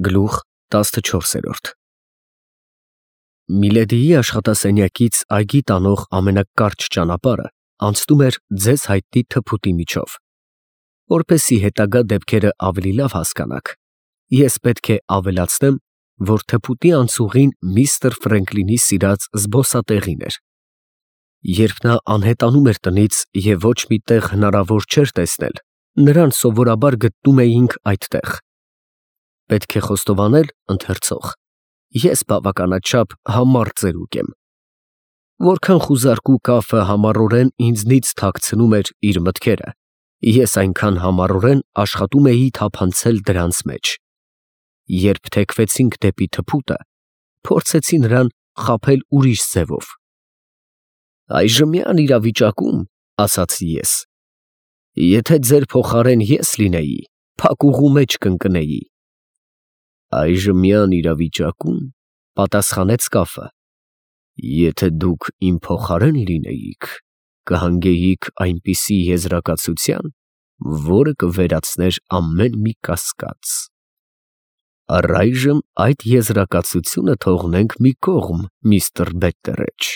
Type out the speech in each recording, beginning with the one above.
Գլուխ 14։ Միլեդիի աշխատասենյակից այգի տանող ամենակարճ ճանապարհը անցնում էր ձեզ հայտնի թփուտի միջով։ Որպեսզի հետագա դեպքերը ավելի լավ հասկանաք, ես պետք է ավելացնեմ, որ թփուտի անցուղին միստր Ֆրենկլինի սիրած զբոսատեղին էր։ Երբ նա անհետանում էր տնից և ոչ մի տեղ հնարավոր չէր տեսնել, նրան սովորաբար գտնում էինք այդտեղ։ Պետք է խոստովանել, ընթերցող, ես բավականաչափ համառ ծերուկ եմ։ Որքան խուզարկու կաֆը համառորեն ինձնից թաքցնում էր իր մտքերը, ես այնքան համառորեն աշխատում էի թափանցել դրանց մեջ։ Երբ թեքվեցինք դեպի թփուտը, փորձեցի նրան խաբել ուրիշ ձևով։ «Այժմյան իրավիճակում, ֊ ասացի ես, ֊ եթե ձեր փոխարեն ես լինեի, փակուղու մեջ կընկնեի»։ «Այժմյան իրավիճակում, ֊ պատասխանեց կաֆը, ֊ եթե դուք իմ փոխարեն լինեիք, կհանգեիք այնպիսի եզրակացության, որը կվերացներ ամեն մի կասկած։ Առայժմ այդ եզրակացությունը թողնենք մի կողմ, միստր Բետտերեջ։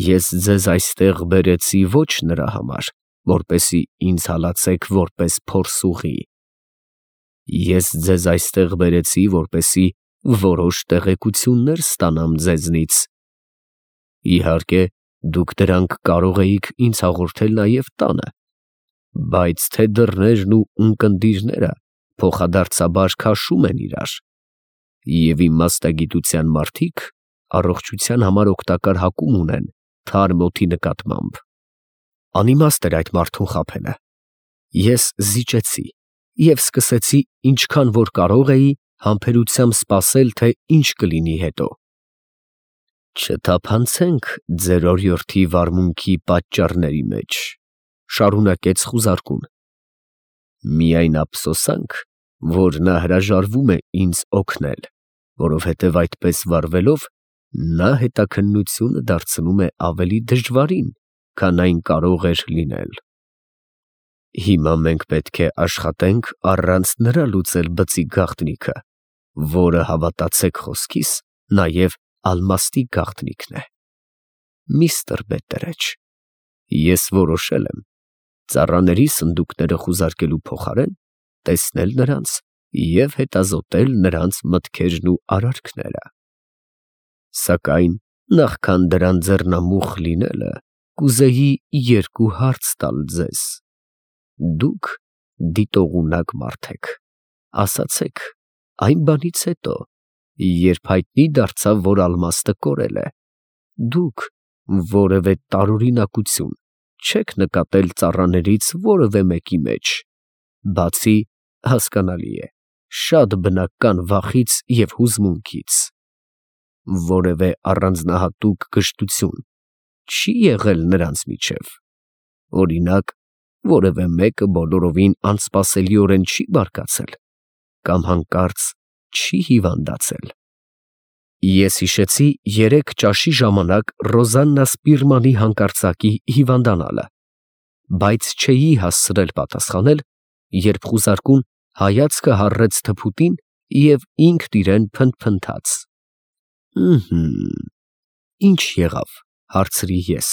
Ես ձեզ այստեղ բերեցի ոչ նրա համար, որպեսզի ինձ հալածեք որպես փորձուղի։ Ես ձեզ այստեղ բերեցի, որպեսզի որոշ տեղեկություններ ստանամ ձեզնից։ Իհարկե, դուք դրանք կարող էիք ինձ հաղորդել նաև տանը, բայց թե դռներն ու ունկնդիրները փոխադարձաբար քաշում են իրար, և իմ մասնագիտության մարդիկ առողջության համար օգտակար հակում ունեն թարմ օդի նկատմամբ։ Անիմաստ էր այդ մարդուն խաբելը։ Ես զիջեցի և սկսեցի ինչքան որ կարող էի համբերությամբ սպասել, թե ինչ կլինի հետո։ «Չթափանցենք ձեր օրիորդի վարմունքի պատճառների մեջ, ֊ շարունակեց խուզարկուն, ֊ միայն ափսոսանք, որ նա հրաժարվում է ինձ օգնել, որովհետև այդպես վարվելով նա հետաքննությունը դարձնում է ավելի դժվարին, քան այն կարող էր լինել։ Հիմա մենք պետք է աշխատենք առանց նրա լուծել բծի գաղտնիքը, որը, հավատացեք խոսքիս, նաև ալմաստի գաղտնիքն է։ Միստր Բետտերեջ, ես որոշել եմ ծառաների սնդուկները խուզարկելու փոխարեն տեսնել նրանց և հետազոտել նրանց մտքերն ու արարքները։ Սակայն նախքան դրան ձեռնամուխ լինելը, կուզեի երկու հարց տալ ձեզ։ Դուք դիտողունակ մարդ եք, ասացեք, այն բանից հետո, երբ հայտնի դարձավ, որ ալմաստը կորել է, դուք որևէ տարօրինակություն չեք նկատել ծառաներից որևէ մեկի մեջ, բացի, հասկանալի է, շատ բնական վախից և հուզմունքից։ Որևէ առանձնահատուկ կշտություն չի եղել նրանց միջև, օրինակ, որևէ մեկը բոլորովին անսպասելիորեն չի բարկացել կամ հանկարծ չի հիվանդացել։ Ես հիշեցի 3 ճաշի ժամանակ Ռոզաննա Սպիրմանի հանկարծակի հիվանդանալը, բայց չէի հասցրել պատասխանել, երբ խուզարկուն հայացքը հառեց թփուտին և ինքն իրեն փնթփնթաց։ Ինչ եղավ, ֊ հարցրի ես։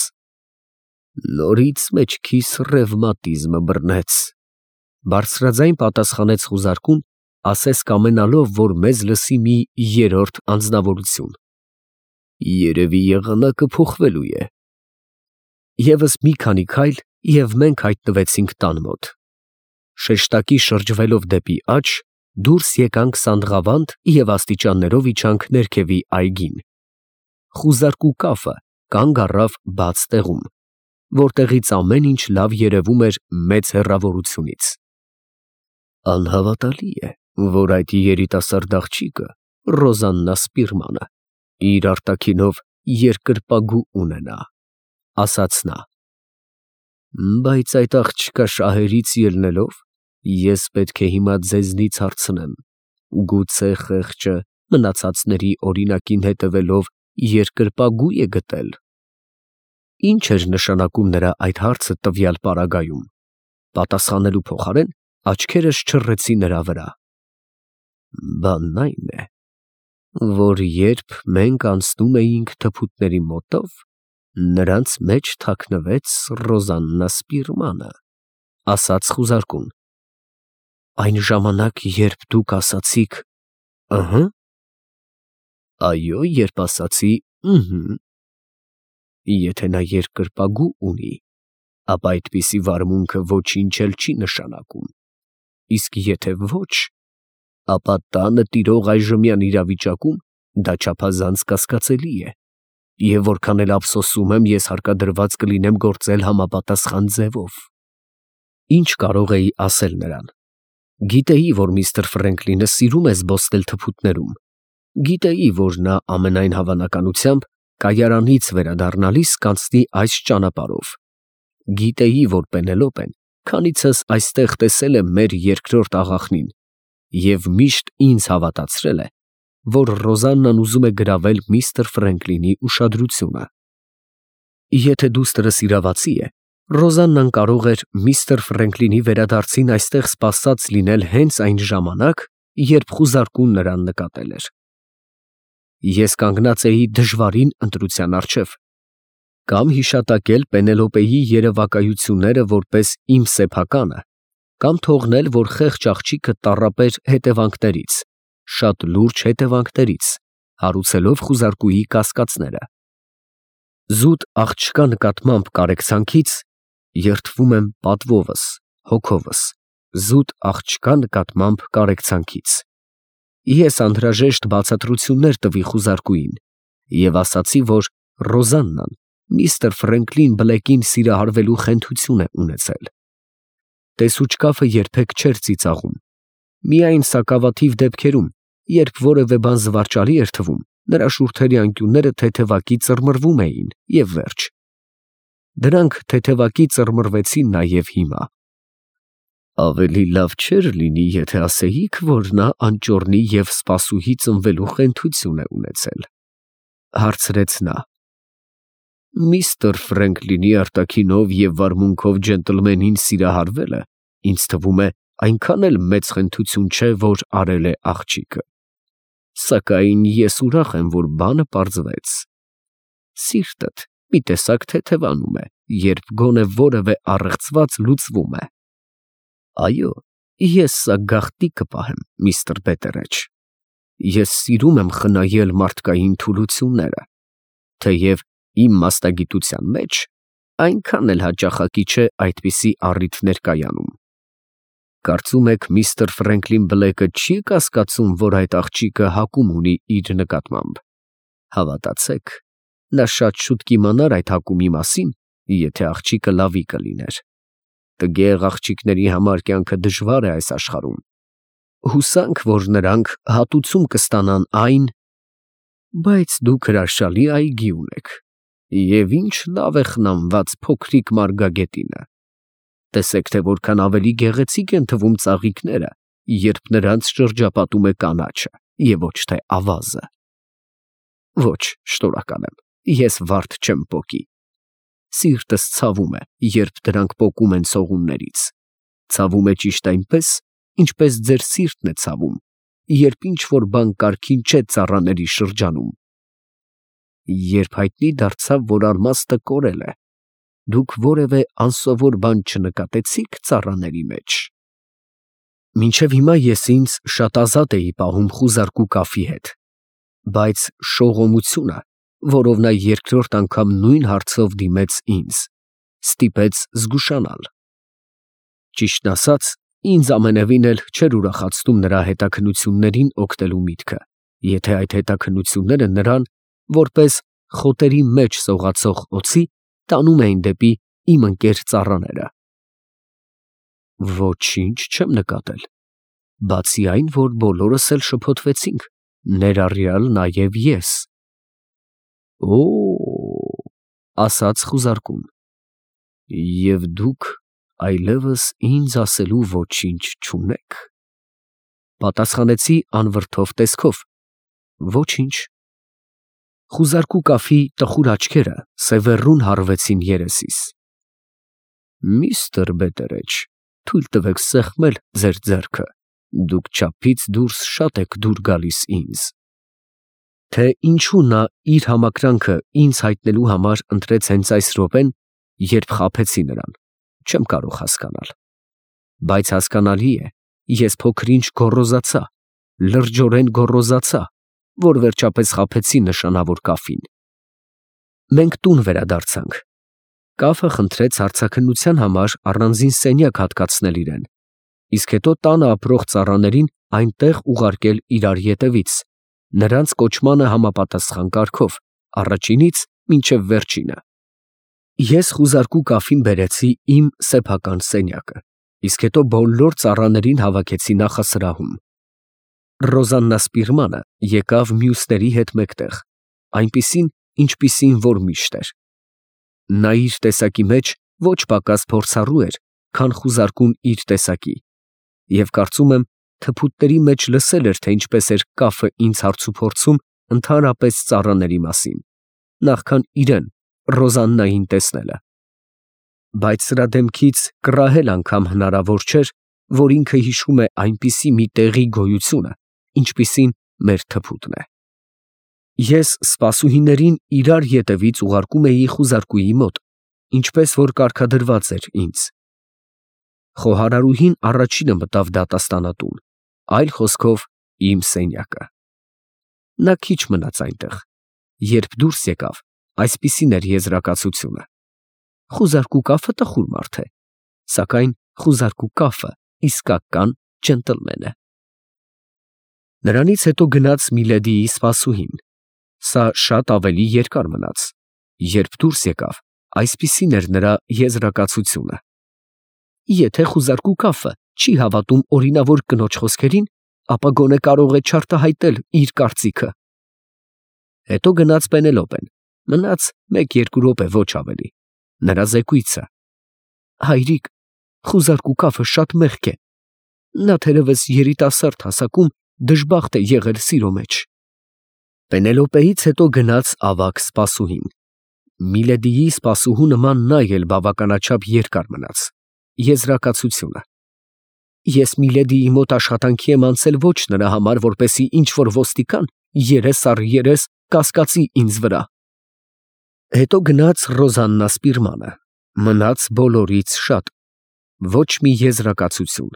Նորից մեջքիս ռևմատիզմը բռնեց, ֊ բարձրաձայն պատասխանեց խուզարկուն, ասես կամենալով, որ մեզ լսի մի երրորդ անձնավորություն։ Երևի եղանակը փոխվելու է։ Եվս մի քանի քայլ, և մենք հայտնվեցինք տան մոտ։ Շեշտակի շրջվելով դեպի աջ, դուրս եկանք Սանդղավանդ և աստիճաններով իջանք ներքևի այգին։ Խուզարկու կաֆը կանգ առավ բաց տեղում, որտեղից ամեն ինչ լավ երևում էր մեծ հեռավորությունից։ Անհավատալի է, որ այդ երիտասարդ աղջիկը, Ռոզաննա Սպիրմանը, իր արտաքինով երկրպագու ունենա, ֊ ասաց նա։ Բայց այդ աղջկա շահերից ելնելով, ես պետք է հիմա ձեզնից հարցնեմ, գուցե խեղճը մնացածների օրինակին հետևելով երկրպագու է գտել։ Ինչ էր նշանակում նրա այդ հարցը տվյալ պարագայում։ Պատասխանելու փոխարեն աչքերս չռեցի նրա վրա։ Բանն այն է, որ երբ մենք անցնում էինք թփուտների մոտով, նրանց մեջ թաքնվեց Ռոզաննա Սպիրմանը, ասաց խուզարկուն։ Այն ժամանակ, երբ դուք ասացիք «ըհը», այո, երբ ասացի «ըհը», եթե նա երկրպագու ունի, ապա այդպիսի վարմունքը ոչինչ էլ չի նշանակում, իսկ եթե ոչ, ապա տանը տիրող այժմյան իրավիճակում դա չափազանց կասկածելի է, և որքան էլ ափսոսում եմ, ես հարկադրված կլինեմ գործել համապատասխան ձևով։ Ինչ կարող էի ասել նրան։ Գիտեի, որ միստր Ֆրենկլինը սիրում է զբոսնել թփուտներում, գիտեի, որ նա ամենայն հավանականությամբ կայարանից վերադառնալիս կանցնի այս ճանապարհով, գիտեի, որ Պենելոպեն քանիցս այստեղ տեսել է մեր երկրորդ աղախնին և միշտ ինձ հավատացրել է, որ Ռոզաննան ուզում է գրավել միստր Ֆրենկլինի ուշադրությունը։ Եթե դուստրս իրավացի է, Ռոզաննան կարող էր միստր Ֆրենկլինի վերադարձին այստեղ սպասած լինել հենց այն ժամանակ, երբ խուզարկուն նրան նկատել էր։ Ես կանգնած էի դժվարին ընտրության առջև, կամ հիշատակել Պենելոպեի երևակայությունները որպես իմ սեփականը, կամ թողնել, որ խեղճ աղջիկը տառապեր հետևանքներից, շատ լուրջ հետևանքներից, հարուցելով խուզարկուի կասկածները։ Զուտ աղջկա նկատմամբ կարեկցանքից երդվում եմ պատվովս, հոգովս, զուտ աղջկա նկատմամբ կարեկցանքից։ Ես անհրաժեշտ բացատրություններ տվի խուզարկուին և ասացի, որ Ռոզաննան միստր Ֆրենկլին Բլեկին սիրահարվելու խենթություն է ունեցել։ Տեսուչկաֆը երբեք չէր ծիծաղում, միայն սակավաթիվ դեպքերում, երբ որևէ բան զվարճալի էր թվում, նրա շուրթերի անկյունները թեթևակի ծռմռվում էին և վերջ։ Դրանք թեթևակի ծռմռվեցին նաև հիմա։ Ավելի լավ չէր լինի, եթե ասեիք, որ նա անճոռնի և սպասուհի ծնվելու խենթություն է ունեցել, հարցրեց նա։ Միստր Ֆրենկլինի արտաքինով և վարմունքով ջենտլմենին սիրահարվելը, ինձ թվում է, այնքան էլ մեծ խենթություն չէ, որ արել է աղջիկը։ Սակայն ես ուրախ եմ, որ բանը պարզվեց։ Սիրտդ մի տեսակ թեթևանում է, երբ գոնե որևէ առեղծված լուծվում է։ Այո, ես սա գաղտնի կպահեմ, միստր Բետերեջ։ Ես սիրում եմ խնայել մարդկային թուլությունները, թեև իմ մասնագիտության մեջ այնքան էլ հաճախակի չէ այդպիսի առիթներ կայանում։ Կարծում եք միստր Ֆրենկլին Բլեկը չի կասկածում, որ այդ աղջիկը հակում ունի իր նկատմամբ։ Հավատացեք, նա շատ շուտ կիմանար այդ հակումի մասին, եթե աղջիկը լավի կլիներ։ Տգեղ աղջիկների համար կյանքը դժվար է այս աշխարհում։ Հուսանք, որ նրանք հատուցում կստանան այն, բայց դուք հրաշալի այգի ունեք, և ինչ լավ է խնամված փոքրիկ մարգագետինը։ Տեսեք, թե որքան ավելի գեղեցիկ են թվում ծաղիկները, երբ նրանց շրջապատում է կանաչը, և ոչ թե ավազը։ Ոչ, շնորհակալ եմ, ես վարդ չեմ պոկի։ Սիրտս ցավում է, երբ դրանք պոկում են ցողուններից։ Ցավում է ճիշտ այնպես, ինչպես ձեր սիրտն է ցավում, երբ ինչ-որ բան կարգին չէ ծառաների շրջանում։ Երբ հայտնի դարձավ, որ Արմաստը կորել է, դուք որևէ անսովոր բան չնկատեցի՞ք ծառաների մեջ։ Մինչև հիմա ես ինձ շատ ազատ էի պահում խուզարկու կաֆի հետ, բայց շողոմությունը, որով նա երկրորդ անգամ նույն հարցով դիմեց ինձ, ստիպեց զգուշանալ։ Ճիշտն ասած, ինձ ամենևին էլ չէր ուրախացնում նրա հետաքննություններին օգտելու միտքը, եթե այդ հետաքննությունները նրան, որպես խոտերի մեջ սողացող օձի, տանում էին դեպի իմ ընկեր ծառաները։ Ոչինչ չեմ նկատել, բացի այն, որ բոլորս էլ շփոթվեցինք, ներառյալ նաև ես։ Օ՜, ասաց խուզարկուն, և դուք այլևս ինձ ասելու ոչինչ չունեք։ Պատասխանեցի անվրդով տեսքով. Ոչինչ։ Խուզարկու կաֆի տխուր աչքերը սևեռուն հառվեցին երեսիս։ Միստր Բետերեջ, թույլ տվեք սեղմել ձեր ձեռքը Դուք չափից դուրս շատ եք դուր գալիս ինձ։ Թե ինչու նա իր համակրանքը ինձ հայտնելու համար ընտրեց հենց այս րոպեն, երբ խաբեցի նրան, չեմ կարող հասկանալ։ Բայց հասկանալի է, ես փոքր-ինչ գոռոզացա, լրջորեն գոռոզացա, որ վերջապես խաբեցի նշանավոր կաֆին։ Մենք տուն վերադարձանք։ Կաֆը խնդրեց հարցաքննության համար առանձին սենյակ հատկացնել իրեն, իսկ հետո տանը ապրող ծառաներին այնտեղ ուղարկել իրար ետևից, նրանց կոչմանը համապատասխան կարգով, առաջինից մինչև վերջինը։ Ես խուզարկու կաֆին բերեցի իմ սեփական սենյակը, իսկ հետո բոլոր ծառաներին հավաքեցի նախասրահում։ Ռոզաննա Սպիրմանը եկավ մյուսների հետ մեկտեղ, այնպիսին, ինչպիսին որ միշտ էր։ Նա իր տեսակի մեջ ոչ պակաս փորձառու էր, քան խուզարկուն իր տեսակի, և կարծում եմ, թփուտների մեջ լսել էր, թե ինչպես էր կաֆը ինձ հարցուփորձում ընդհանրապես ծառաների մասին, նախքան իրեն, Ռոզաննային տեսնելը։ Բայց սրա դեմքից կռահել անգամ հնարավոր չէր, որ ինքը հիշում է այնպիսի մի տեղի գոյությունը, ինչպիսին մեր թփուտն է։ Ես սպասուհիներին իրար ետևից ուղարկում էի խուզարկուի մոտ, ինչպես որ կարգադրված էր ինձ։ Խոհարարուհին առաջինը մտավ դատաստանատուն, այլ խոսքով իմ սենյակը։ Նա քիչ մնաց այնտեղ, երբ դուրս եկավ, այսպիսին էր եզրակացությունը. խուզարկու կաֆը տխուր մարդ է, սակայն խուզարկու կաֆը իսկական ջենտլմեն է։ Նրանից հետո գնաց Միլեդիի սպասուհին։ Սա շատ ավելի երկար մնաց, երբ դուրս եկավ, այսպիսին էր նրա եզրակացությունը. եթե խուզարկու կաֆը չի հավատում օրինավոր կնոջ խոսքերին, ապա գոնե կարող է չարտահայտել իր կարծիքը։ Հետո գնաց Պենելոպեն, մնաց 1-2 րոպե, ոչ ավելի, նրա զեկույցը. հայրիկ, խուզարկու կաֆը շատ մեղք է, նա թերևս երիտասարդ հասակում դժբախտ է եղել սիրո մեջ։ Պենելոպեից հետո գնաց ավագ սպասուհին։ Միլեդիի սպասուհու նման նա էլ բավականաչափ երկար մնաց։ Եզրակացությունը. ես Միլեդիի մոտ աշխատանքի եմ անցել ոչ նրա համար, որպեսզի ինչ-որ ոստիկան երես առ երես կասկածի ինձ վրա։ Հետո գնաց Ռոզաննա Սպիրմանը, մնաց բոլորից շատ, ոչ մի եզրակացություն,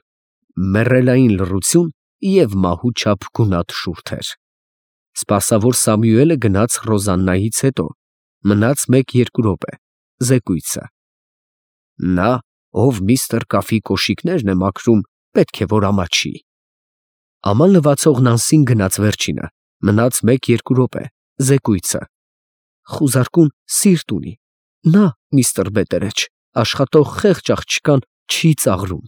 մեռելային լռություն և մահու չափ գունատ շուրթեր։ Սպասավոր Սամուելը գնաց Ռոզաննայից հետո, մնաց 1-2 րոպե, զեկույցը. նա, ով միստր Կաֆի կոշիկներն է մաքրում, պետք է որ ամաչի։ Աման լվացող Նանսին գնաց վերջինը, մնաց 1-2 րոպե, զեկույցը. խուզարկուն սիրտ ունի, նա, միստր Բետերեչ, աշխատող խեղճ աղջկան չի ծաղրում։